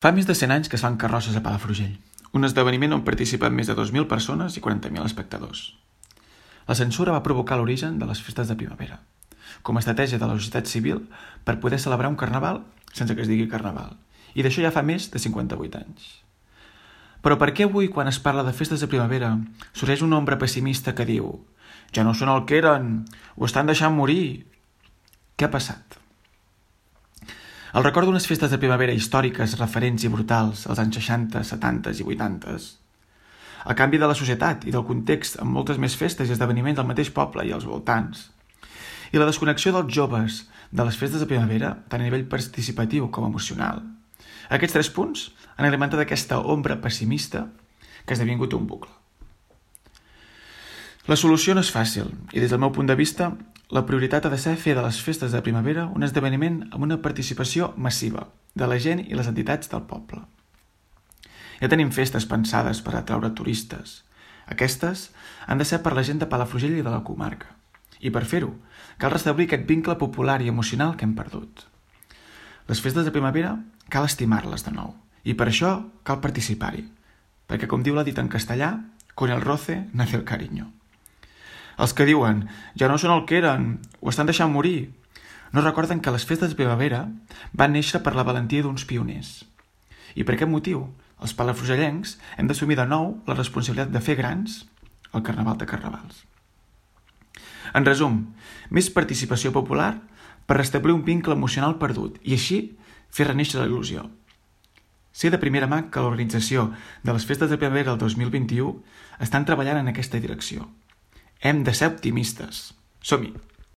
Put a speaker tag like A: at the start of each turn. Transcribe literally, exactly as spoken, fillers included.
A: Fa més de cent anys que es fan carrosses a Palafrugell, un esdeveniment on participen més de dos mil persones i quaranta mil espectadors. La censura va provocar l'origen de les festes de primavera, com a estratègia de la societat civil per poder celebrar un carnaval sense que es digui carnaval, i d'això ja fa més de cinquanta-vuit anys. Però per què avui, quan es parla de festes de primavera, sorgeix una ombra pessimista que diu «Ja no són el que eren, ho estan deixant morir». Què ha passat? El record d'unes festes de primavera històriques, referents i brutals als anys seixanta, setanta i vuitanta. El canvi de la societat i del context amb moltes més festes i esdeveniments al mateix poble i als voltants. I la desconnexió dels joves de les festes de primavera, tant a nivell participatiu com emocional. Aquests tres punts han alimentat aquesta ombra pessimista que ha esdevingut un bucle. La solució no és fàcil i des del meu punt de vista la prioritat ha de ser fer de les festes de primavera un esdeveniment amb una participació massiva de la gent i les entitats del poble. Ja tenim festes pensades per atraure turistes. Aquestes han de ser per la gent de Palafrugell i de la comarca. I per fer-ho, cal restablir aquest vincle popular i emocional que hem perdut. Les festes de primavera cal estimar-les de nou i per això cal participar-hi, perquè com diu la dita en castellà, con el roce nace el cariño. Els que diuen, ja no són el que eren, ho estan deixant morir, no recorden que les festes de primavera van néixer per la valentia d'uns pioners. I per aquest motiu, els palafrugellencs hem d'assumir de nou la responsabilitat de fer grans el Carnaval de Carnavals. En resum, més participació popular per restablir un vincle emocional perdut i així fer renéixer la il·lusió. Sé de primera mà que l'organització de les festes de primavera del dos mil vint-i-u estan treballant en aquesta direcció. Hem de ser optimistes. Som-hi!